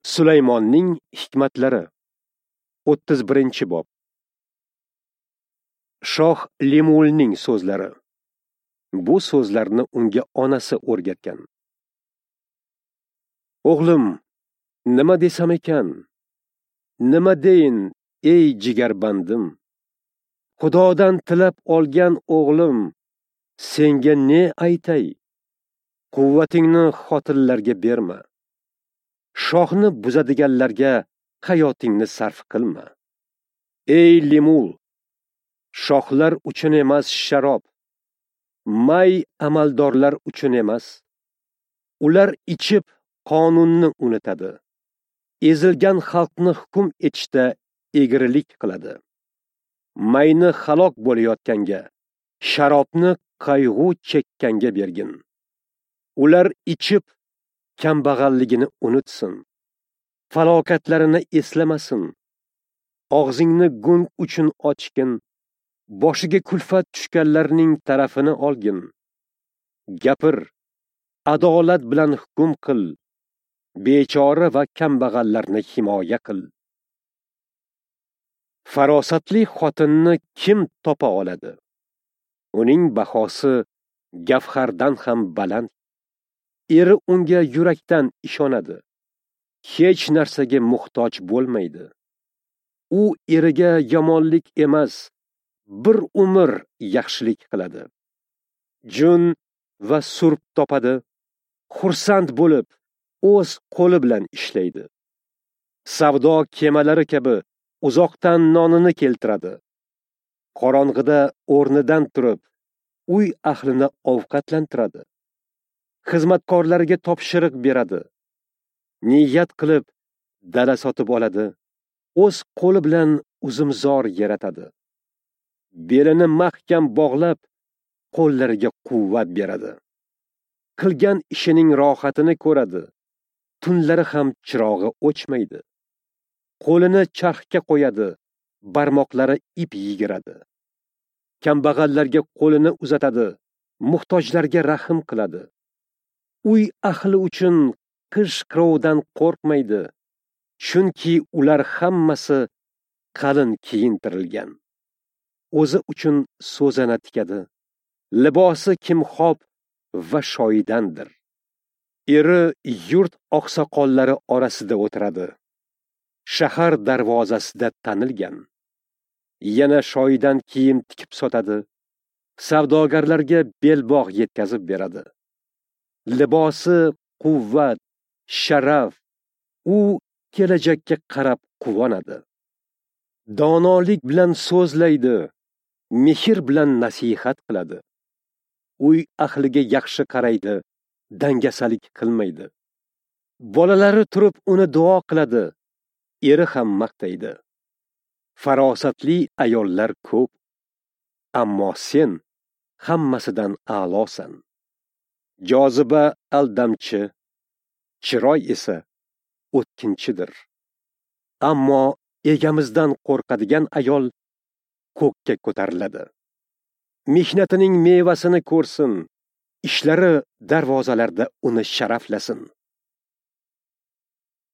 Sulaymonning hikmatlari 31-bob. Shoh Lemulning so'zlari. Bu so'zlarni unga onasi o'rgatgan. O'g'lim, nima desam ekan? Nima deyin, ey jigarbandim? Xudodan tilab olgan o'g'lim, senga ne aytay? Quvvatingni xotinlarga berma. Shohni buzadiganlarga hayotingni sarf qilma. Ey Lemul, shohlar uchun emas sharob, may amaldorlar uchun emas. Ular ichib qonunni unutadi. Ezilgan xalqni hukm etishda egrilik qiladi. Mayni halok bo'layotganga, sharobni qayg'u chekkanga bergin. Ular ichib kambag'alligini unutsin. Falokatlarini eslamasin. Og'zingni gung uchun ochgin. Boshiga kulfat tushganlarning tarafini olgin. Gapir, adolat bilan hukm qil. Bechora va kambag'allarni himoya qil. Farosatli xotinni kim topa oladi? Uning bahosi gavhardan ham baland. Eri unga yurakdan ishonadi. Hech narsaga muhtoj bo'lmaydi. U eriga yomonlik emas, bir umr yaxshilik qiladi. Jun va surp topadi, xursand bo'lib, o'z qo'li bilan ishlaydi. Savdo kemalari kabi uzoqdan nonini keltiradi. Qorong'ida o'rnidan turib, uy ahlini ovqatlantiradi. Xizmatkorlarga topshiriq beradi. Niyat qilib dala sotib oladi. O'z qo'li bilan uzumzor yaratadi. Belini mahkam bog'lab, qo'llariga quvvat beradi. Qilgan ishining rohatini ko'radi. Tunlari ham chirog'i o'chmaydi. Qo'lini charxga qo'yadi, barmoqlari ip yigiradi. Kambag'allarga qo'lini uzatadi, muhtojlarga rahm qiladi. Uy ahli uchun qish qirovdan qo'rqmaydi, chunki ular hammasi qalin kiyintirilgan. O'zi uchun so'zana tikadi. Libosi kimxob va shoyidandir. Eri yurt oqsoqollari orasida o'tiradi. Shahar darvozasida tanilgan. Yana shoyidan kiyim tikib sotadi. Savdogarlarga belbog' yetkazib beradi. Libosi quvvat, sharaf. U kelajakka qarab quvonadi. Donolik bilan so'zlaydi, mehr bilan nasihat qiladi. Uy ahliga yaxshi qaraydi, dangasalik qilmaydi. Bolalari turib uni duo qiladi, eri ham maqtaydi. Farosatli ayollar ko'p, ammo sen hammasidan a'losan. Joziba aldamchi, chiroy esa o'tkinchidir. Ammo egamizdan qo'rqadigan ayol ko'kka ko'tariladi. Mehnatining mevasini ko'rsin, ishlari darvozalarda uni sharaflasin.